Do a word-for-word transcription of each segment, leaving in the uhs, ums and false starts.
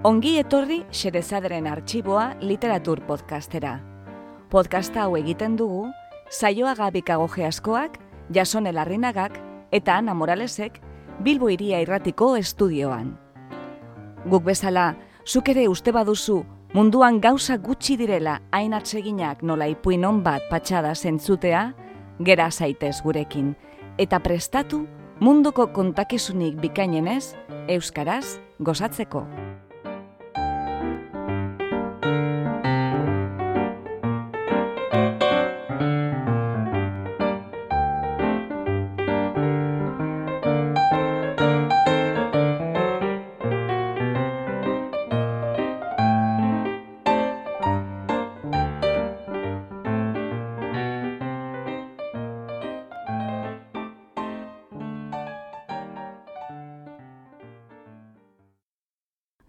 Ongi etorri Xerezaderen Artxiboa literatur podcastera. Podcasta hau egiten dugu Saioa Gabikagoge askoak, Jasone Larrinagak eta Ana Moralesek Bilbo Hiria Irratiko estudioan. Guk bezala, zuk ere uste baduzu munduan gauza gutxi direla hain atseginak nola ipuin on bat patxada zentzutea, gera zaitez gurekin, eta prestatu munduko kontakizunik bikainenez, euskaraz gozatzeko.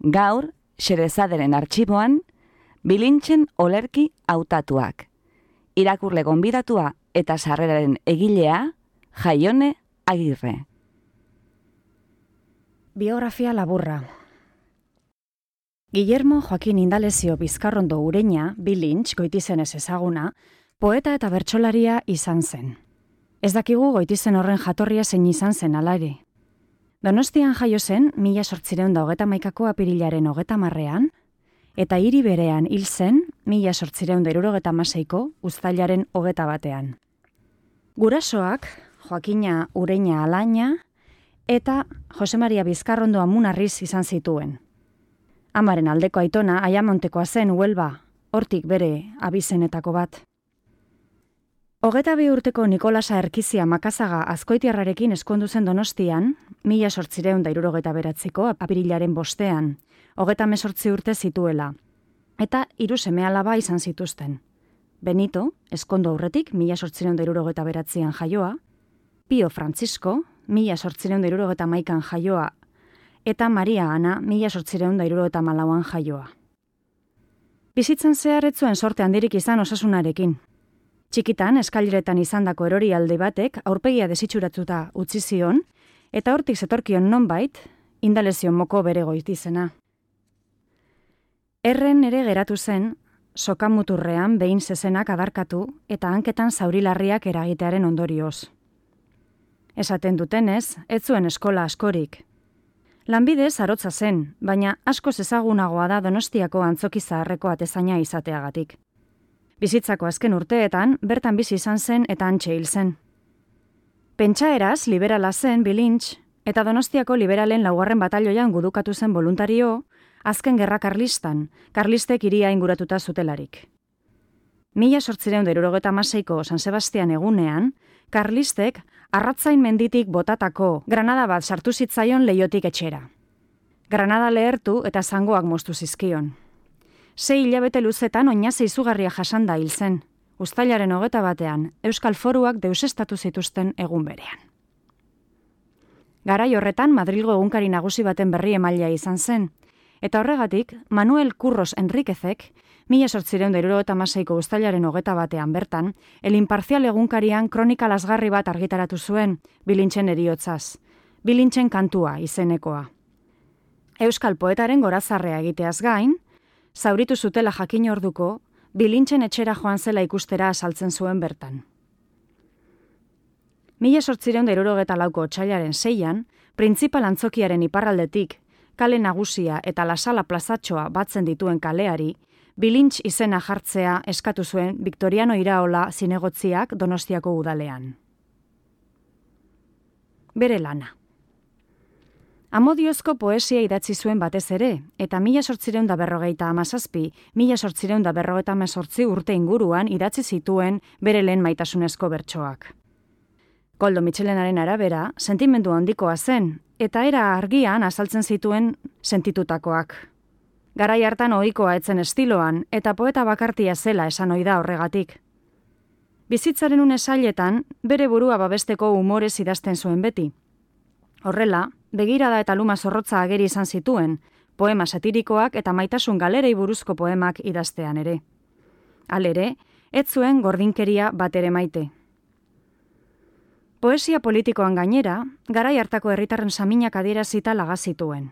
Gaur, Xerezaderen Artxiboan, bilintzen olerki hautatuak. Irakurle gonbidatua eta sarreraren egilea, Jaione Agirre. Biografia laburra. Guillermo Joaquin Indalezio Bizkarrondo Ureña, bilintz goitizenez ezaguna, poeta eta bertsolaria izan zen. Ez dakigu goitizen horren jatorria zein izan zen alare. Donostian jaio zen, mila sortzireun da hogeta maikako apirilaren hogeta marrean, eta hiri berean hil zen, mila sortzireun da irurogeta maseiko, uztailaren hogeta batean. Gurasoak, Joakina Ureña Alaina, eta Jose Maria Bizkarrondo Amunarriz izan zituen. Amaren aldeko aitona, Aiamontekoa zen Huelba, hortik bere abizenetako bat. Hogeta bi urteko Nikolasa Erkizia Makazaga Azkoitiarrarekin eskondu zen Donostian, mila sortzireun da irurogeta beratziko apirilaren bostean, hogeta mesortzi urte zituela, eta hiru seme alaba izan zituzten. Benito, eskondo aurretik, mila sortzireun da irurogeta beratzean jaioa, Pio Francisco, mila sortzireun da irurogeta maikan jaioa, eta Maria Ana, mila sortzireun da irurogeta malauan jaioa. Bizitzan zehar ez zuen sorte handirik izan osasunarekin. Txikitan, eskaileretan izandako erori alde batek aurpegia desitxuratuta utzi zion, eta hortik zetorkion nonbait, Indalezio moko bere goitizena. Erren ere geratu zen, sokamuturrean behin zezenak adarkatu eta hanketan zaurilarriak eragitearen ondorioz. Esaten dutenez, ez zuen eskola askorik. Lanbidez arotza zen, baina askoz ezagunagoa da Donostiako antzoki zaharreko atezaina izateagatik. Bizitzako azken urteetan, bertan bizi izan zen eta antxe hil zen. Pentsaeraz, liberala zen bilintz, eta Donostiako liberalen laugarren batalioian gudukatu zen voluntario, azken gerra karlistan, karlistek hiria inguratuta zutelarik. Mila sortzireun da irurogeta maseiko San Sebastian egunean, karlistek arratzain menditik botatako granada bat sartu zitzaion leiotik etxera. Granada lehertu eta zangoak moztu zizkion. Sei hilabete luzetan oinaze izugarria jasanda hil zen, uztailaren hogeta batean, Euskal Foruak deusestatu zituzten egun berean. Garai horretan Madrilgo egunkari nagusi baten berri emailea izan zen, eta horregatik Manuel Curros Enriquezek, mila sortzireun da irurogeta hamaseiko uztailaren hogeta batean bertan, El Imparcial egunkarian kronika lasgarri bat argitaratu zuen, bilintzen eriotzaz, bilintzen kantua izenekoa. Euskal poetaren gorazarrea egiteaz gain, zauritu zutela jakin orduko, bilintzen etxera joan zela ikustera azaltzen zuen bertan. Mila sortzireun da irurogeta lauko otsailaren seian, printzipal antzokiaren iparraldetik, kale nagusia eta lasala plazatxoa batzen dituen kaleari, bilintz izena jartzea eskatu zuen Victoriano Iraola zinegotziak Donostiako udalean. Bere lana. Amodiozko poesia idatzi zuen batez ere, eta mila sortzireun da berrogeita hamazazpi, mila sortzireun da berrogeita hemezortzi urte inguruan idatzi zituen bere lehen maitasunezko bertsoak. Koldo Mitxelenaren arabera, sentimendu handikoa zen, eta era argian azaltzen zituen sentitutakoak. Garai hartan ohikoa etzen estiloan, eta poeta bakartia zela esan ohi da horregatik. Bizitzaren une zailetan, bere burua babesteko umorez idazten zuen beti. Horrela, begirada eta luma zorrotza ageri izan zituen, poema satirikoak eta maitasun galerei buruzko poemak idaztean ere. Halere, ez zuen gordinkeria bat ere maite. Poesia politikoan gainera, garai hartako herritarren saminak adierazita laga zituen.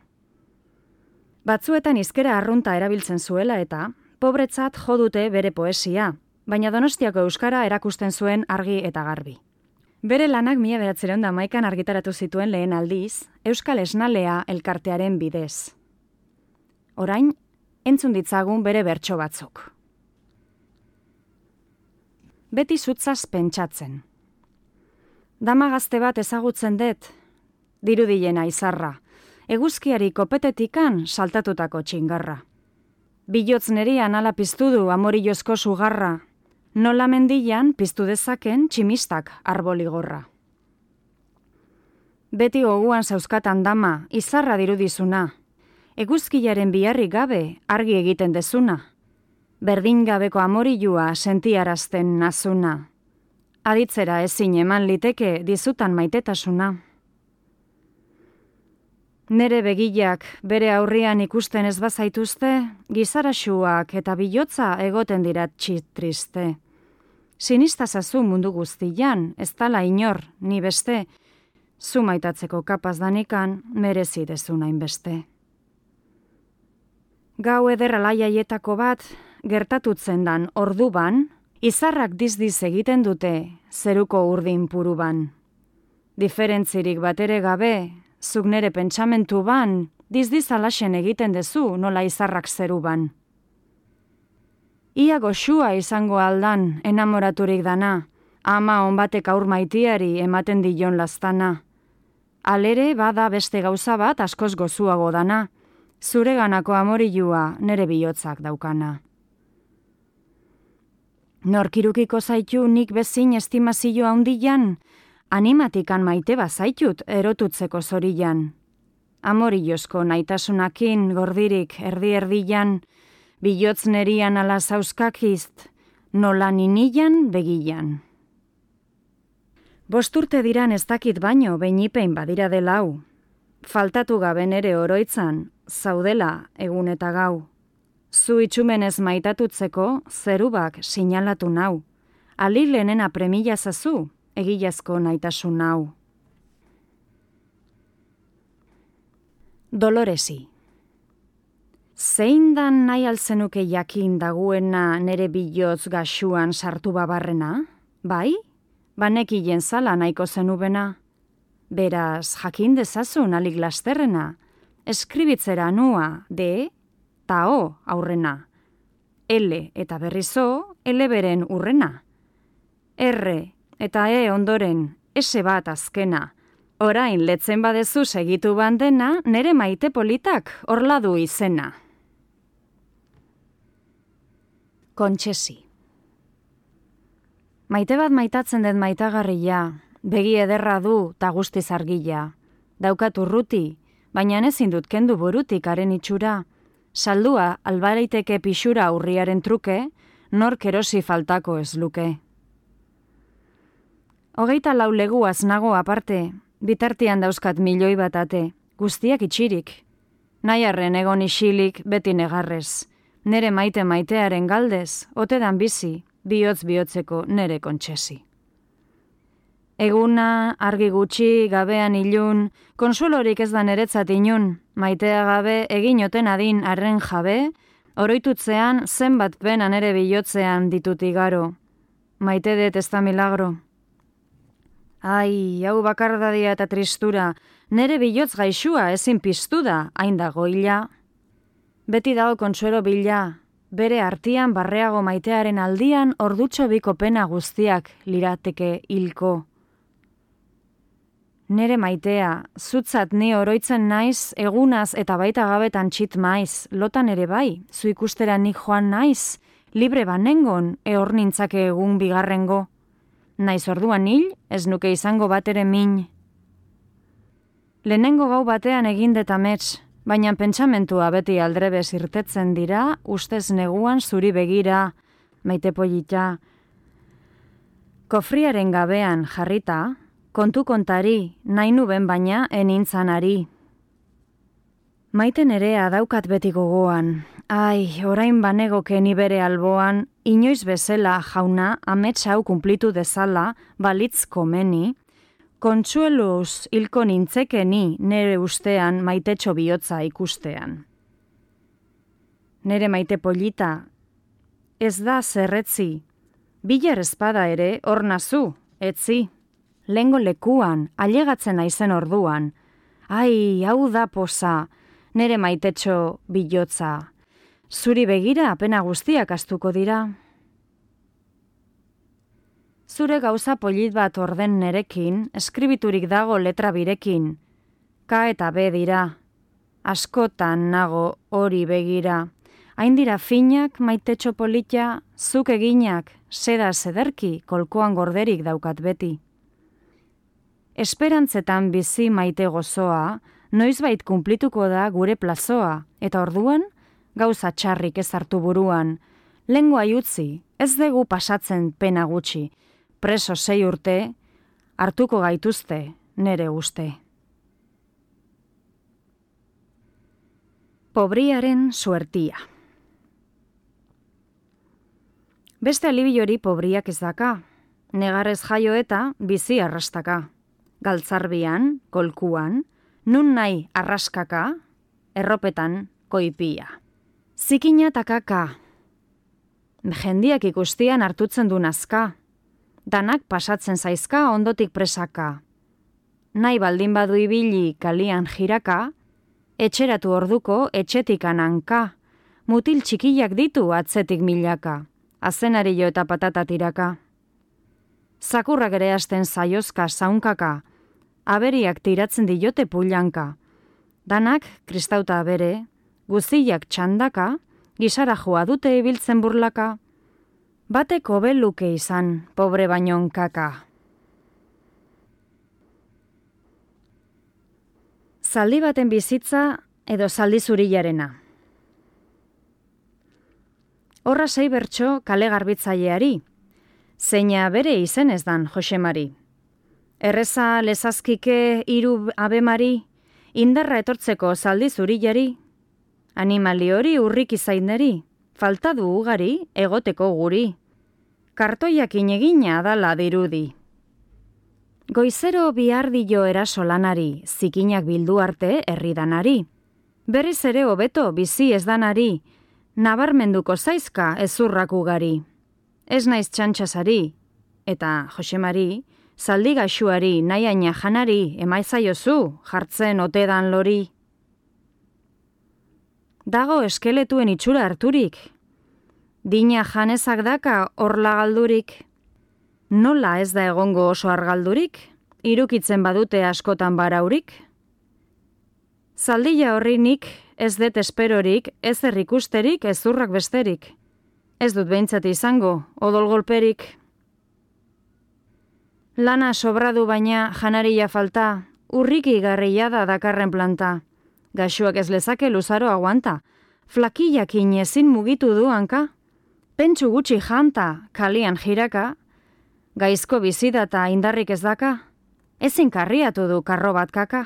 Batzuetan hizkera arrunta erabiltzen zuela eta pobretzat jo dute bere poesia, baina Donostiako euskara erakusten zuen argi eta garbi. Bere lanak mila bederatziehun eta hamaikan argitaratu zituen lehen aldiz, Euskal Esnalea elkartearen bidez. Orain, entzun ditzagun bere bertso batzuk. Beti zutzaz pentsatzen. Dama gazte bat ezagutzen dut, dirudilena izarra, eguzkiari kopetetikan saltatutako txingarra. Bilotz nerian ala piztu du amorillozko sugarra, nola mendian piztu dezaken tximistak arboligorra. Beti goguan zauzkatan dama, izarra dirudizuna, eguzkilaren biharri gabe argi egiten dezuna, berdin gabeko amorillua sentiarazten nazuna, aditzera ezin eman liteke dizutan maitetasuna. Nere begilak bere aurrian ikusten ez bazaituzte, gizaraxuak eta bilotza egoten dira txitriste. Sinistazazu mundu guztian, ez dala inor, ni beste, zu maitatzeko kapaz danikan merezi dezuna inbeste. Gau eder alaiaietako bat, gertatutzen dan orduban, izarrak dizdiz egiten dute zeruko urdin puruban. Diferentzirik batere gabe, zuk nere pentsamentu ban, dizdiz alaxen egiten dezu nola izarrak zeruban. Ia goxua izango aldan enamoraturik dana, ama onbatek aur maitiari ematen dion lastana. Alere bada beste gauza bat askoz gozuago dana, zureganako amorilua nere bihotzak daukana. Norkirukiko zaitu nik bezin estimazio handian, animatikan maite bazaitut erotutzeko zorian. Amorillozko naitasunakin gordirik erdi-erdian, bilotz nerian ala zauzkakizt, nola ninian begian. Bosturte diran ez dakit baino beinipein badira dela hau. Faltatu gabe nere oroitzan, zaudela egun eta gau. Zu itxumenez maitatutzeko zerubak sinalatu nau. Alilenena premila zazu, egilazko naitasun nau. Doloresi. Zein dan nahi altzenuke jakin daguena nere bilotz gaxuan sartu babarrena? Bai? Banekilen zala nahiko zenubena. Beraz, jakin dezazun alik lasterrena. Eskribitzera nua, de, ta o aurrena. L eta berrizo, L beren urrena. R eta E ondoren, S bat azkena. Orain letzen badezu segitu bandena, nere maite politak horla du izena. Kontxesi. Maite bat maitatzen den maitagarria, begi ederra du ta guztiz argila. Daukat urruti, baina ezin dut kendu burutik haren itxura. Saldua albareiteke pixura urriaren truke, nork erosi faltako ez luke. Hogeita lau leguaz nago aparte, bitartian dauzkat milioi bat ate, guztiak itxirik. Nahiarren egon isilik beti negarrez, nere maite maitearen galdez, otedan bizi, bihotz bihotzeko nere kontxesi. Eguna, argi gutxi, gabean ilun, konsulorik ez da neretzat inun, maitea gabe egin oten adin arren jabe, oroitutzean zenbat pena nere bihotzean ditut igaro. Maite dut ez da milagro. Ai, hau bakardadia eta tristura, nere bihotz gaixua ezin piztu da, hain dago hila. Beti dago konsuelo bila, bere artian barreago maitearen aldian ordutxo biko pena guztiak lirateke hilko. Nere maitea, zutzat ni oroitzen naiz, egunaz eta baita gabetan txit maiz, lotan ere bai, zu ikustera nik joan naiz, libre banengon, ehor nintzake egun bigarrengo. Naiz orduan hil, ez nuke izango bat ere min. Lehenengo gau batean egindet amets, baina pentsamentua beti aldrebez irtetzen dira, ustez neguan zuri begira, maite polita. Kofriaren gabean jarrita, kontu kontari, nahi nuben baina enintzanari. Maite nerea daukat beti gogoan, ai, orain banegoke ni bere alboan, inoiz bezala jauna amets hau kumplitu dezala, balitz komeni, kontsueluz hilko nintzekeni nere ustean maitetxo bihotza ikustean. nere maite polita, ez da zerretzi, bilar espada ere hor nazu, etzi, lengo lekuan, ailegatzen naizen orduan, ai, hau da posa, nere maitetxo bilotza, zuri begira apena guztiak astuko dira. Zure gauza polit bat orden nerekin, eskribiturik dago letra birekin, K eta B dira, askotan nago hori begira, hain dira finak maitetxo polita, zuk eginak, seda zederki, kolkoan gorderik daukat beti. Esperantzetan bizi maite gozoa, noizbait kunplituko da gure plazoa, eta orduan, gauza txarrik ez hartu buruan, lengua utzi, ez dugu pasatzen pena gutxi, preso sei urte, hartuko gaituzte nere uste. Pobriaren suertia. Beste alibiori pobriak ez daka, negarrez jaio eta bizi arrastaka. Galtzarbian, kolkuan, nun nahi arraskaka, erropetan koipia. Zikina takaka. Jendiak ikustian hartutzen du nazka. Danak pasatzen zaizka ondotik presaka. Nahi baldin badu ibili kalian jiraka, etxeratu orduko etxetik ananka. Mutil txikiak ditu atzetik milaka. Azenario eta patata tiraka. Zakurrak ere hasten zaiozka zaunkaka, aberiak tiratzen diote pulanka. Danak, kristauta abere, guziak txandaka, gisara joa dute ibiltzen burlaka. Batek hobeluke izan, pobre bainon kaka. Zaldi baten bizitza edo zaldi zurilarena. Horra sei bertso kale garbitzaileari, zeina bere izen ez dan Josemari. Erreza lezazkike hiru abemari, indarra etortzeko zaldi zurilari, animali hori urrik izaineri, falta du ugari egoteko guri, kartoiak inegina adala dirudi. Goizero bihardio eraso lanari, zikinak bildu arte herridanari, berriz ere hobeto bizi ez danari, nabarmenduko zaizka ezurrak ugari. Ez naiz txantxasari, eta Josemari, zaldi gaxuari nahiaina janari emaitzaiozu jartzen otedan lori. Dago eskeletuen itxura harturik, dina janezak daka orla galdurik. Nola ez da egongo oso argaldurik, irukitzen badute askotan baraurik? Zaldila horrinik, ez det esperorik, ez errikusterik, ez zurrak besterik. Ez dut behintzat izango, odol golperik. Lana sobradu baina janaria falta, urriki garria da dakarren planta. Gaxuak ez lezake luzaro aguanta, flakillakin ezin mugitu du hanka. Pentsu gutxi janta, kalian jiraka, gaizko bizidata indarrik ez daka, ezin karriatu du karro bat kaka.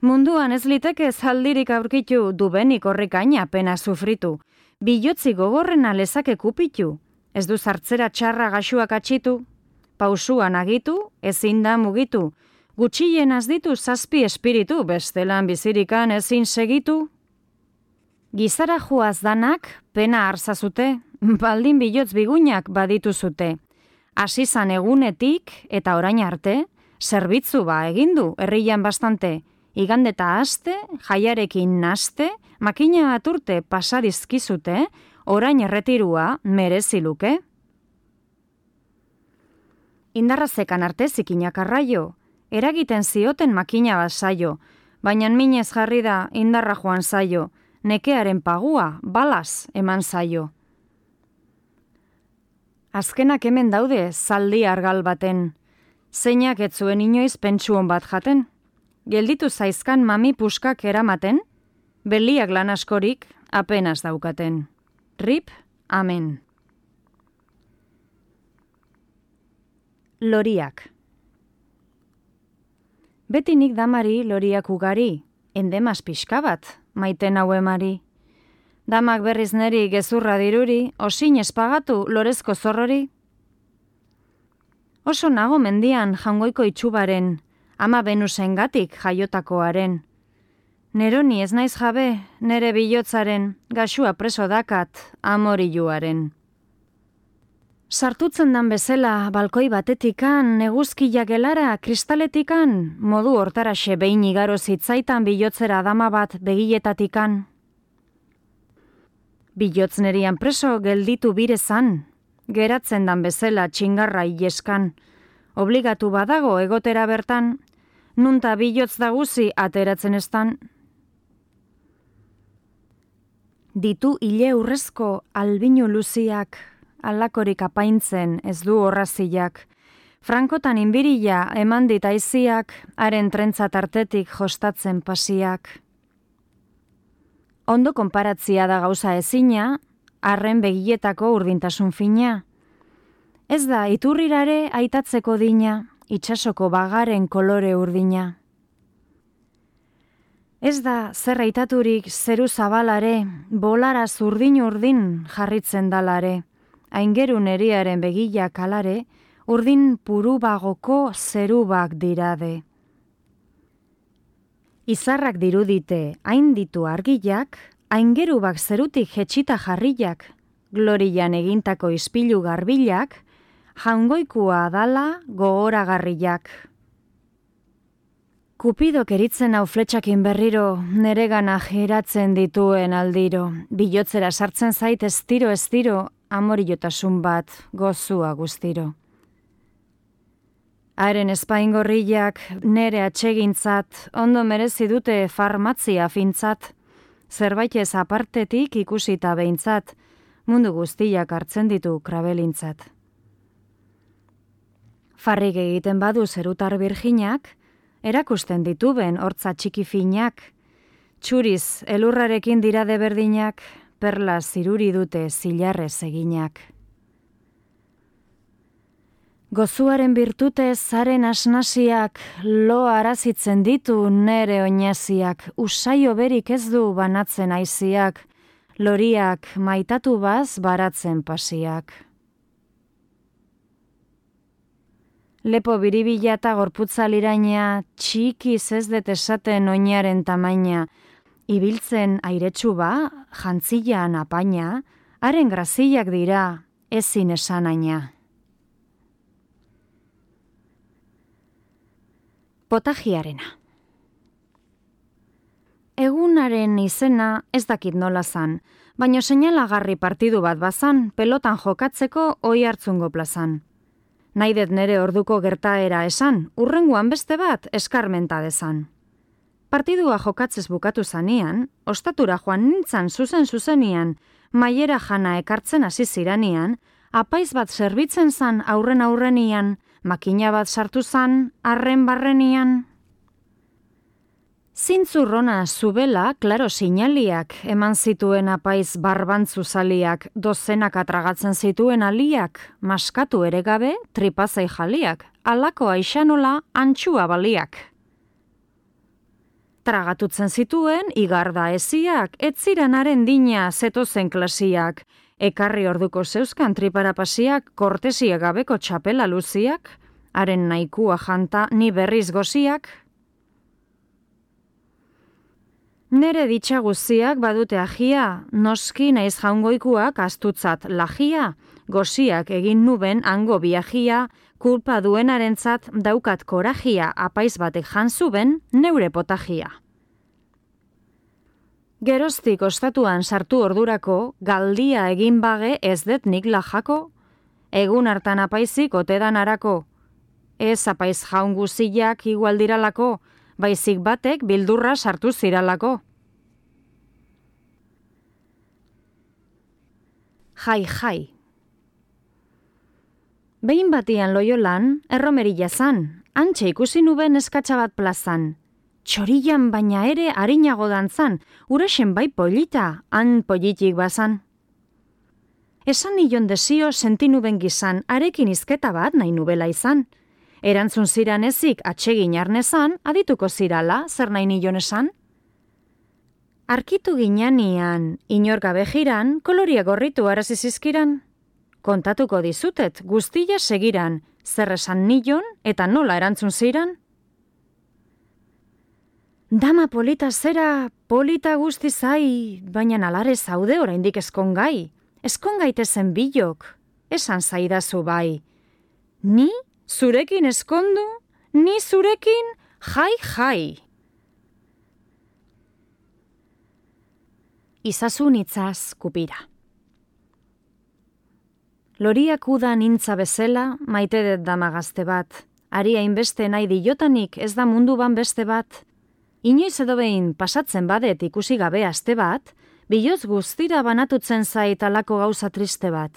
Munduan ez liteke zaldirik aurkitu, dubenik horrikaina pena sufritu, bilotzi gogorrena lezake kupitu, ez du zartzera txarra gaxuak atxitu, pausuan agitu, ezin da mugitu, gutxien az ditu zazpi espiritu, bestelan bizirikan ezin segitu. Gizara joaz danak pena arzazute, baldin bilotz bigunak baditu zute. Asizan egunetik eta orain arte, zerbitzu ba egindu herrian bastante, igandeta aste, jaiarekin naste, makina aturte pasadizkizute, orain erretirua mereziluke. Indarrazekan arte zikinak arraio, eragiten zioten makina bat zaio, baina minez jarri da indarra joan zaio, nekearen pagua balaz eman zaio. Azkenak hemen daude zaldi argal baten, zeinak ez zuen inoiz pentsuon bat jaten. Gelditu zaizkan mami puskak eramaten, beliak lan askorik apenas daukaten. Rip, amen. Loriak. Beti nik damari loriak ugari, endemaz pixka bat, maiten hau emari. Damak berriz neri gezurra diruri, osin espagatu lorezko zorrori. Oso nago mendian jangoiko itxubaren, ama Venusengatik jaiotakoaren. Neroni ez naiz jabe, nere bilotzaren, gaxua preso dakat, amoriluaren. Sartutzen dan bezala, balkoi batetikan, neguzkiak gelara, kristaletikan, modu hortaraxe behin igaro zitzaitan bilotzera dama bat begietatikan. Bilotz nerian preso gelditu birezan, geratzen dan bezala txingarra ileskan, obligatu badago egotera bertan, nunta bilotz daguzi ateratzen estan. Ditu hile urrezko albinu luziak, alakorik apaintzen ez du horraziak, frankotan inbirila eman dit aiziak, haren trentza tartetik jostatzen pasiak. Ondo konparatzia da gauza ezina, arren begietako urdintasun fina. Ez da iturrirare aitatzeko dina, itsasoko bagaren kolore urdina. Ez da zer aitaturik zeru zabalare, bolara zurdin urdin jarritzen dalare, aingerun eriaren begilak alare, urdin purubagoko zerubak dirade. Izarrak dirudite hain ditu argilak, aingerubak zerutik jetxita jarriak, glorian egintako ispilu garbilak, jaungoikua dala gogoragarriak. Kupidok eritzen hau fletxakin berriro, neregana giratzen dituen aldiro, bilotzera sartzen zait ez tiro ez tiro, amorillotasun bat gozua guztiro. Haren espaingorriak nere atsegintzat, ondo merezi dute farmatzia fintzat, zerbait ez apartetik ikusita behintzat, mundu guztiak hartzen ditu krabelintzat. Farrik egiten badu zerutar birginak, erakusten dituben hortza txiki finak, txuriz elurrarekin dirade berdinak, perla ziruri dute zilarrez eginak. Gozuaren birtutez zaren asnasiak, lo arazitzen ditu nere oinaziak, usaio berik ez du banatzen aiziak, loriak maitatu baz baratzen pasiak. Lepo biribila eta gorputza liraina, txikiz ez det esaten oinaren tamaina, ibiltzen airetsu ba, jantzilan apaina, haren graziak dira, ezin esanaina. Potajiarena. Egunaren izena ez dakit nola zan, baino seinalagarri partidu bat bazan, pelotan jokatzeko oi hartzungo plazan. Naidet nere orduko gertaera esan, urrenguan beste bat eskarmenta dezan. Partidua jokatzez bukatu zanean, ostatura joan nintzan zuzen zuzenian, maiera jana ekartzen hasi ziranian, apaiz bat zerbitzen zan aurren aurrenian, makina bat sartu zan, arren barrenian. Zintzurrona zubela, klaro sinaliak, eman zituen apaiz barbantzu zaliak, dozenak atragatzen zituen aliak, maskatu ere gabe, tripazai jaliak, alako aixanola antxua baliak. Tragatutzen zituen, igarda eziak, etziranaren dina zetozen klasiak, ekarri orduko zeuzkan triparapasiak, kortesia gabeko txapela luziak, haren nahikua janta ni berriz goziak. Nere ditxa guziak badute agia, noski naiz jaungoikuak astutzat lagia, goziak egin nuben hango biagia, kulpa duenarentzat daukat korajia, apaiz batek jantzuben neure potagia. Geroztik ostatuan sartu ordurako, galdia egin bage ez det nik lajako, egun hartan apaizik otedan arako, ez apaiz jaun guziak igual diralako, baizik batek bildurra sartu ziralako. Jai, jai. Behin batian Loiolan, erromerila zan, antxe ikusi nuben eskatsa bat plazan. Txorian baina ere harinago dantzan, urasen bai polita, han politik bazan. Esan nion desio sentinuben gizan, arekin izketa bat nahi nubela izan. Erantzun ziran ezik atsegin arnezan, adituko zirala, zer nahi nion esan? Arkitu ginanian, inor gabe jiran, koloria gorritu arazizizkiran. Kontatuko dizutet, guztia segiran, zer esan nion eta nola erantzun ziran? Dama polita zera, polita guzti zai, baina alare zaude oraindik eskongai. Eskongaitezen bilok, esan zaidazu bai. Ni zurekin eskondu, ni zurekin jai jai. Izazun itzaz kupira. Loriak udan intza bezela, maite dut dama gazte bat. Ari hainbeste nahi diotanik ez da mundu ban beste bat. Inoiz edo behin pasatzen badet ikusi gabe aste bat, biloz guztira banatutzen zait alako gauza triste bat.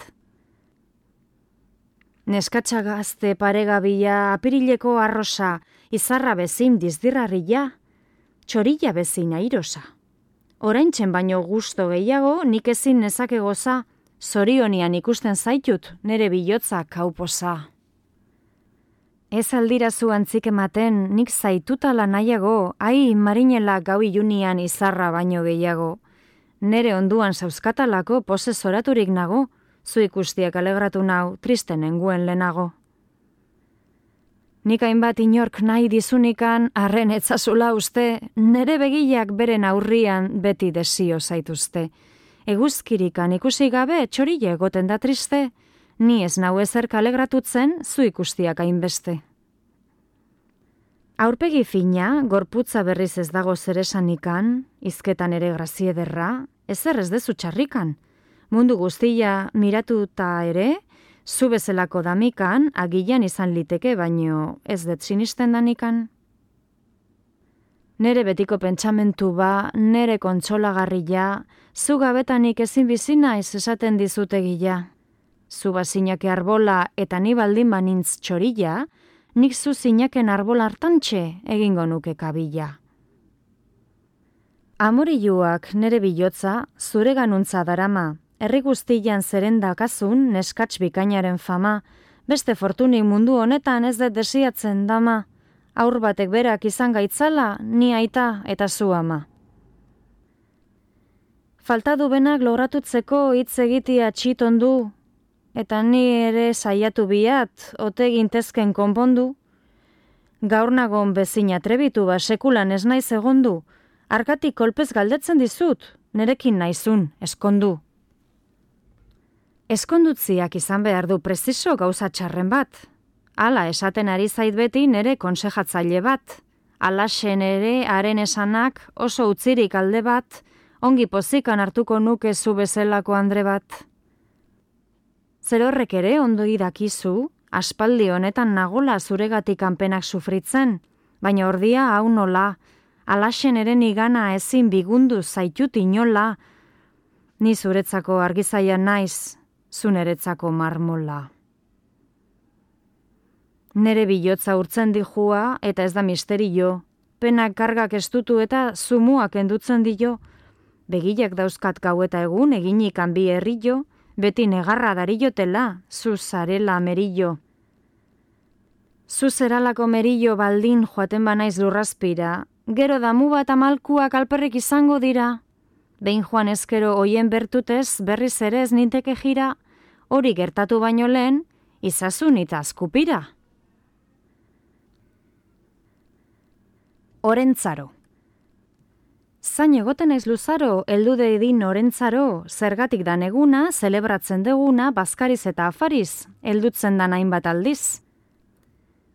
Neskatxa gazte paregabila, apirileko arrosa, izarra bezin dizdirrarria, txorilla bezin airosa. Oraintzen baino gusto gehiago nik ezin nezake goza, zorionian ikusten zaitut nere bilotza kauposa. Ez aldirazu antzik ematen, nik zaitutala nahiago, ai marinela gau ilunian izarra baino gehiago. Nere onduan zauzkatalako pose zoraturik nago, zu ikustiak alegratu nau, triste nenguen lehenago. Nik hainbat inork nahi dizunikan, arren etzazula uste, nere begiak beren aurrian beti desio zaituzte. Eguzkirikan ikusi gabe txorille egoten da triste, ni ez nau ezer kalegratutzen zu ikustiak hainbeste. Aurpegi fina, gorputza berriz ez dago zeresanikan, izketan ere graziederra, ezer ez dezu txarrikan. Mundu guztia miratuta ere, zu bezalako damikan, agilan izan liteke, baino ez dut sinisten danikan. Nere betiko pentsamentu ba, nere kontsolagarria, zu gabetanik ezin bizina ez esaten dizutegila. Zu bazinake arbola eta ni baldin banintz txorilla, nik zu zinaken arbola hartantxe egingo nuke kabila. Amoriluak nere bilotza, zure ganuntza darama, herri guztian zerendakazun neskatx bikainaren fama, beste fortunik mundu honetan ez dut desiatzen dama, aur batek berak izan gaitzala, ni aita eta zu ama. Falta du benak logratutzeko hitz egitea txitondu, eta ni ere saiatu biat, ote gintezken konpondu. Gaur nagon bezin atrebitu ba sekulan ez naiz egondu, arkatik kolpez galdetzen dizut, nerekin naizun, eskondu. Eskondutziak izan behar du preziso gauza txarren bat. Hala esaten ari zait beti nere konsejatzaile bat. Alaxen ere haren esanak oso utzirik alde bat, ongi pozikan hartuko nuke zu bezalako andre bat. Zer horrek ere ondo idakizu, aspaldi honetan nagola zuregatik kanpenak sufritzen, baina ordia hau nola, alaxen ere nigana ezin bigundu zaitut inola, ni zuretzako argizaia naiz, zu neretzako marmola. Nere bilotza urtzen dijua eta ez da misterio, penak kargak estutu eta zumuak endutzen dio, begilak dauzkat gau eta egun eginik hanbi herrillo, beti negarra darillotela, zu zarela merillo. Zu zeralako merillo baldin joaten banaiz lurrazpira, gero damu bat amalkuak alperrik izango dira. Behin joan ezkero hoien bertutez berriz ere ez ninteke jira, hori gertatu baino lehen, izazun eta azkupira. Orentzaro. Zain egoten naiz luzaro, heldu dedin orentzaro, zergatik dan eguna, zelebratzen deguna, bazkariz eta afariz, heldutzen dan hainbat aldiz.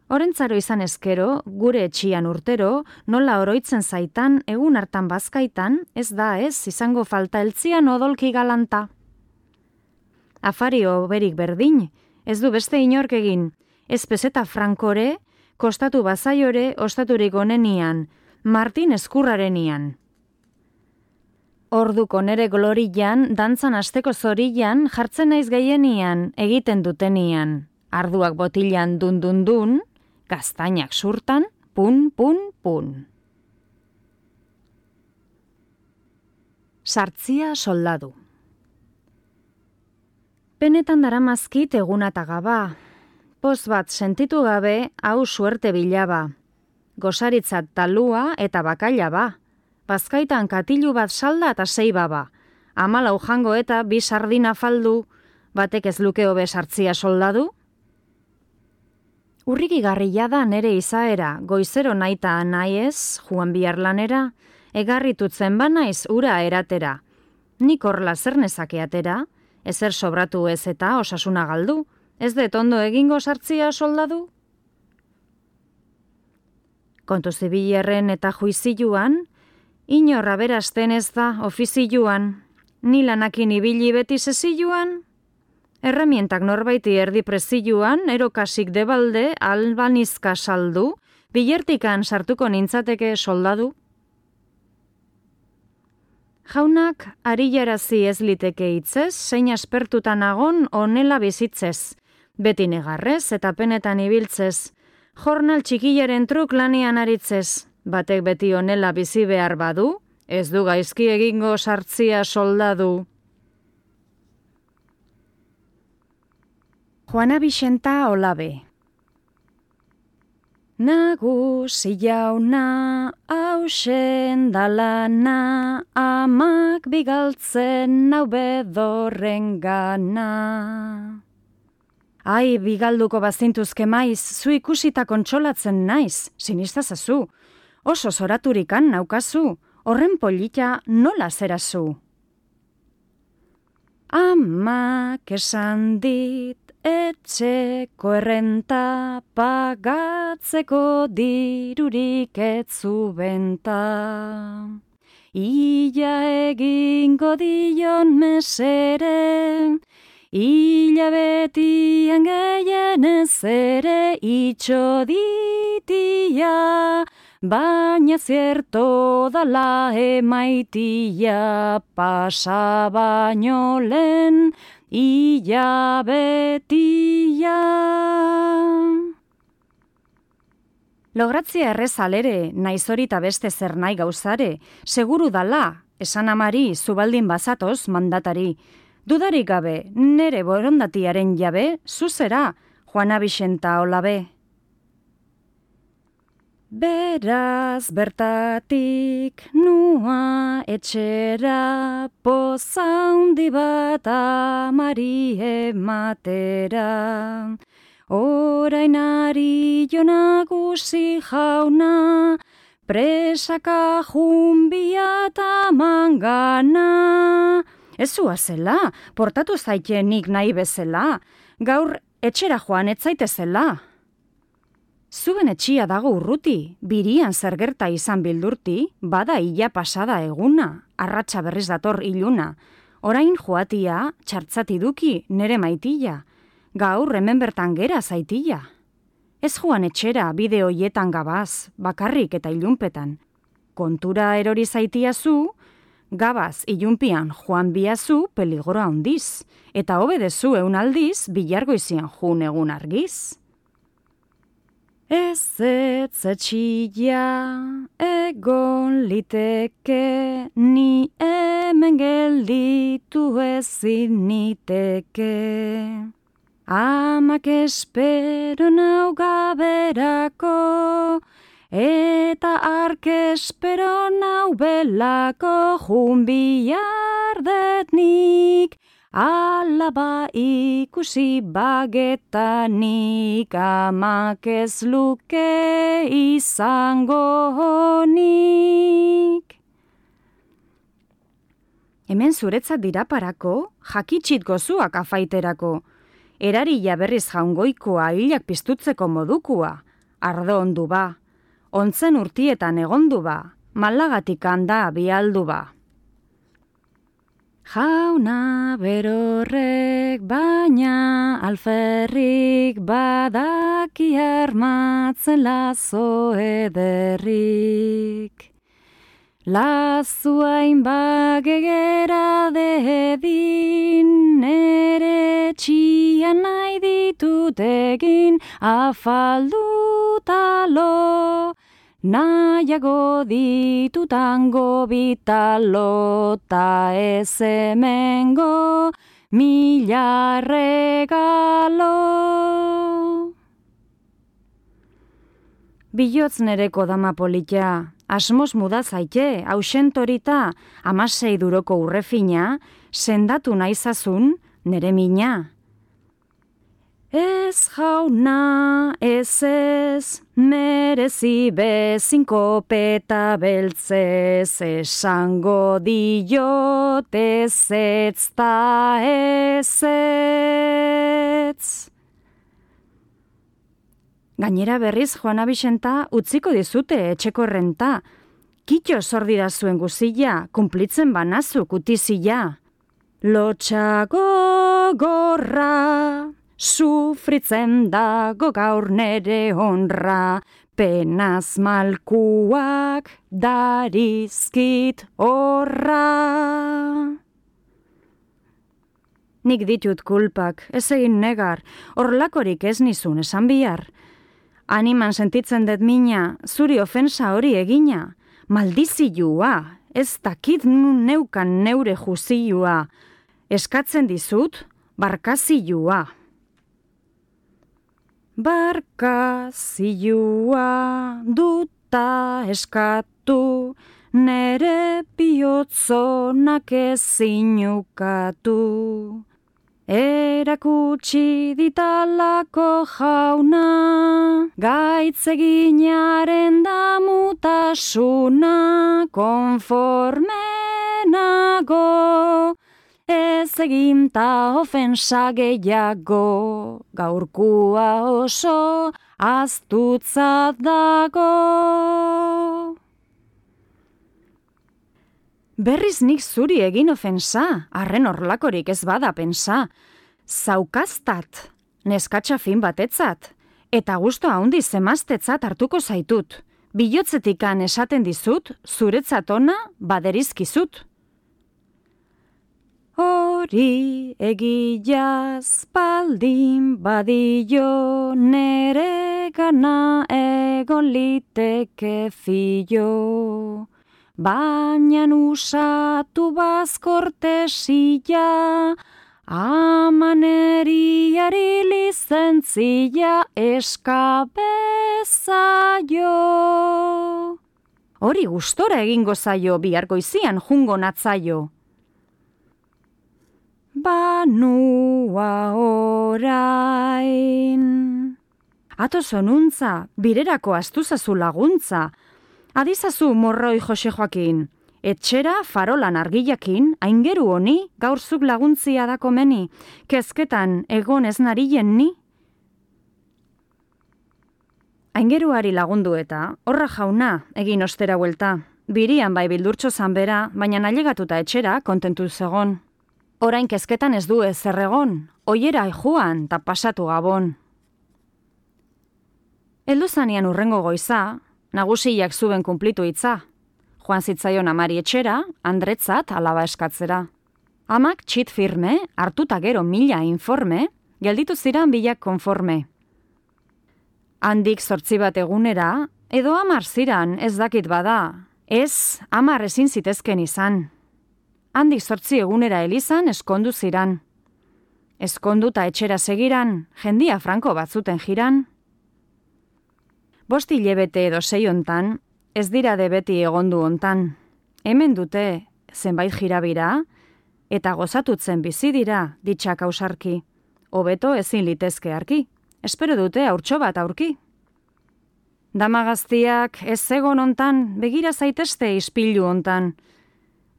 Orentzaro izan ezkero, gure etxian urtero, nola oroitzen zaitan, egun hartan bazkaitan, ez da ez, izango falta eltzian odolki galanta. Afari oberik berdin, ez du beste inork egin, ez peseta frankore, kostatu bazaiore, ostaturik onenian, Martin eskurrarenian. Orduko nere glorian, dantzan asteko zorian, jartzen naiz gehienian, egiten dutenian. Arduak botilan dun-dun-dun, gaztainak surtan, pun-pun-pun. Sartzia soldadu. Penetan daramazkit egunata gaba. Poz bat sentitu gabe, hau suerte bilaba. Gosaritzat talua eta bakaila ba. Bazkaitan katilu bat salda eta sei baba. Amalau jango eta bi sardina faldu, batek ez luke hobe sartzia soldadu? Urrikigarria da nere izaera, goizero naita naiez, joan bihar lanera, egarritutzen banaiz ura eratera. Nik horla zer nezake atera, ezer sobratu ez eta osasuna galdu, ez det ondo egingo sartzia soldadu? Kontu zibilerren eta juizioan, inorra berasten ez da ofizioan, ni lanakin ibili beti zezioan, erramientak norbaiti erdi prezioan, erokasik debalde albanizka saldu, bilertikan sartuko nintzateke soldadu. Jaunak arilarazi ez liteke hitzez, zein aspertutan agon onela bizitzez, beti negarrez eta penetan ibiltzez, jornal txikilaren truk lanean aritzez, batek beti onela bizi behar badu, ez du gaizki egingo sartzia soldadu. Juana Bixenta Olabe. Nagusi jauna, hausen dalana, amak bigaltzen nau bedorren gana. Ai, bigalduko bazintuzke maiz, zu ikusita kontsolatzen naiz, sinistazazu. Oso zoraturikan naukazu, horren polita nola zerazu. Amak esan dit, etxeko errenta, pagatzeko dirurik etzu benta. Ila egingo dion mesere, ila betian gehienez ere itxo ditia, baina zierto dala emaitia, pasa baino lehen ila betia. Logratzia errezalere, naiz hori ta beste zer nahi gauzare, seguru dala, esan amari, zubaldin bazatoz mandatari. Dudarik gabe, nere borondatiaren jabe, zuzera, Juana Bixenta Olabe. Beraz bertatik nua etxera, poza handi bat amari ematera. Orain ari jo nagusi jauna, presaka junbia eta mangana. Ez zuazela, portatu zaitenik nahi bezala, gaur etxera joan etzaitezela. Zuen etxia dago urruti, birian zer gerta izan bildurti, bada ila pasada eguna, arratsa berriz dator iluna. Orain joatia, txartzati duki nere maitila, gaur hemen bertan gera zaitila. Ez joan etxera bide hoietan gabaz, bakarrik eta ilunpetan. Kontura erori zaitia zu, gabaz ilunpian joan biazu peligora handiz, eta hobedezu eun aldiz bilargoizian jun egun argiz. Ez ez etxila egon liteke, ni hemen gelditu ezin niteke. Amak espero nau gaberako, eta ark espero nau belako, jun bihar detnik, alaba ikusi bagetanik, amak ez luke izango honik. Hemen zuretzat diraparako, jakitxit gozuak afaiterako, erarila berriz jaungoikoa hilak piztutzeko modukua, ardo ondu ba, ontzen urtietan egondu ba, malagatik handa bialdu ba. Jauna berorrek baina alferrik, badaki armatzen lazo ederrik. Lazuain bagegera dedin, nere txian nahi ditut egin, afaldutalo, nahiago ditutango bitalo, ta ez hemengo mila regalo. Bilotz nereko dama polita, asmoz muda zaite, ausentorita, amasei duroko urrefina, sendatu naizazun nere mina. Ez jauna, ez ez, merezi bezin kopeta beltzez, esango diot ez ez ta ez ez. Gainera berriz Juana Bixenta utziko dizute etxeko renta. Kitxo sordira zuen guzilla, kumplitzen banazu kutizia. Lotxago gorra, sufritzen dago gaur nere honra, penaz malkuak darizkit horra. Nik ditut kulpak, ez egin negar, horlakorik ez nizun esan bihar. Animan sentitzen dut mina, zuri ofensa hori egina, maldizioa, ez dakit nun neukan neure juzioa, eskatzen dizut, barkazioa. Barkazioa duta eskatu, nere bihotzonak ezinukatu. Erakutsi ditalako jauna, gaitzeginaren damutasuna, konformenago, ez eginta ofensa gehiago, gaurkua oso aztutzat dago. Berriz nik zuri egin ofensa, arren horlakorik ez bada pensa. Zaukaztat, neskatxa fin batetzat, eta gusto haundi zemaztetzat hartuko zaitut. Bilotzetikan esaten dizut, zuretzat ona baderizkizut. Hori egiaz baldin badio, nere gana egon liteke fio. Baina usatu bazkortesia, amaneriari lizentzia eskabezaio. Hori gustora egingo zaio, bihar goizian jungo natzaio. Banua orain. Ato zonuntza, birerako astuzazu laguntza. Adizazu morroi Jose Joakin, etxera farolan argilakin, aingeru honi gaurzuk laguntzia da komeni, kezketan egon ez narien ni? Aingeruari lagundu eta, horra jauna, egin ostera huelta, birian bai bildurtxo zanbera, baina nalegatuta etxera kontentu zegon. Orain kezketan ez du ez zerregon, oiera joan ta pasatu gabon. Heldu zanean urrengo goiza, nagusiak zuben kumplitu hitza. Joan zitzaion amari etxera, Andretzat alaba eskatzera. Amak txit firme, hartuta gero mila informe, gelditu ziran bilak konforme. Handik zortzi bat egunera, edo amar ziran ez dakit bada, ez amar ezin zitezken izan. Handik zortzi egunera elizan eskondu ziran. Eskonduta etxera segiran, jendia franko batzuten jiran. Bosti hilebete edo sei hontan, ez dira de beti egondu hontan. Hemen dute zenbait jirabira, eta gozatutzen bizi dira ditxak ausarki. Hobeto ezin litezke arki, espero dute haurtxo bat aurki. Dama gaztiak ez egon hontan, begira zaitezte ispilu hontan.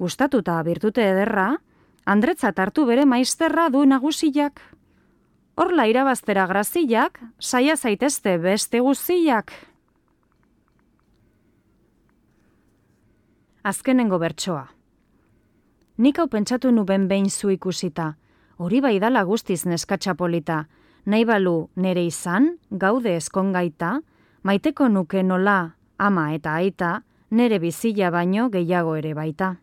Gustatuta birtute ederra, Andretzat hartu bere maizterra du nagusiak. Horla irabaztera graziak, saia zaitezte beste guziak. Azkenengo bertsoa. Nik hau pentsatu nuben behin zu ikusita, hori bai dala guztiz neskatxa polita, nahi balu nere izan, gaude eskongaita, maiteko nuke nola ama eta aita, nere bizila baino gehiago ere baita.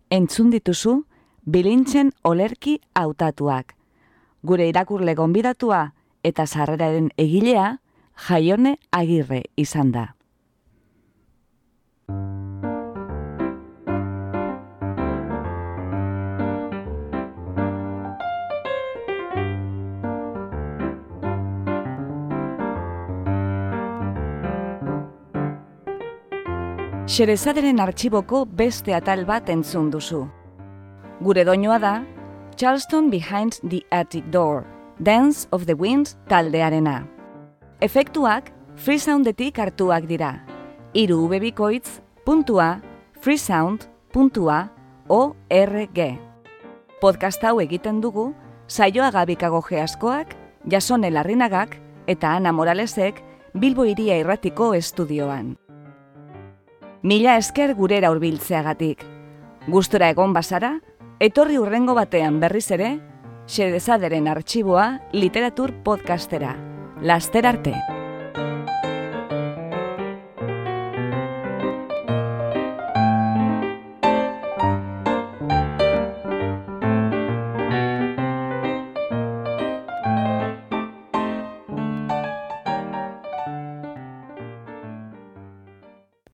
Entzun dituzu, bilintzen olerki hautatuak. Gure irakurle gonbidatua eta sarreraren egilea, Jaione Agirre izan da. Xerezaderen artxiboko beste atal bat entzun duzu. Gure doinoa da, Charleston Behind the Attic Door, Dance of the Wind taldearena. Efektuak freesoundetik hartuak dira. Hiru ubebikoitz puntua freesound puntua org. Podcast hau egiten dugu Saioa Gabikagoge askoak, Jasone Larrinagak eta Ana Moralesek Bilbo Hiria Irratiko estudioan. Mila esker gurera hurbiltzeagatik. Gustora egon bazara, etorri hurrengo batean berriz ere, Xedesaderen artxiboa literatur podcastera. Laster arte!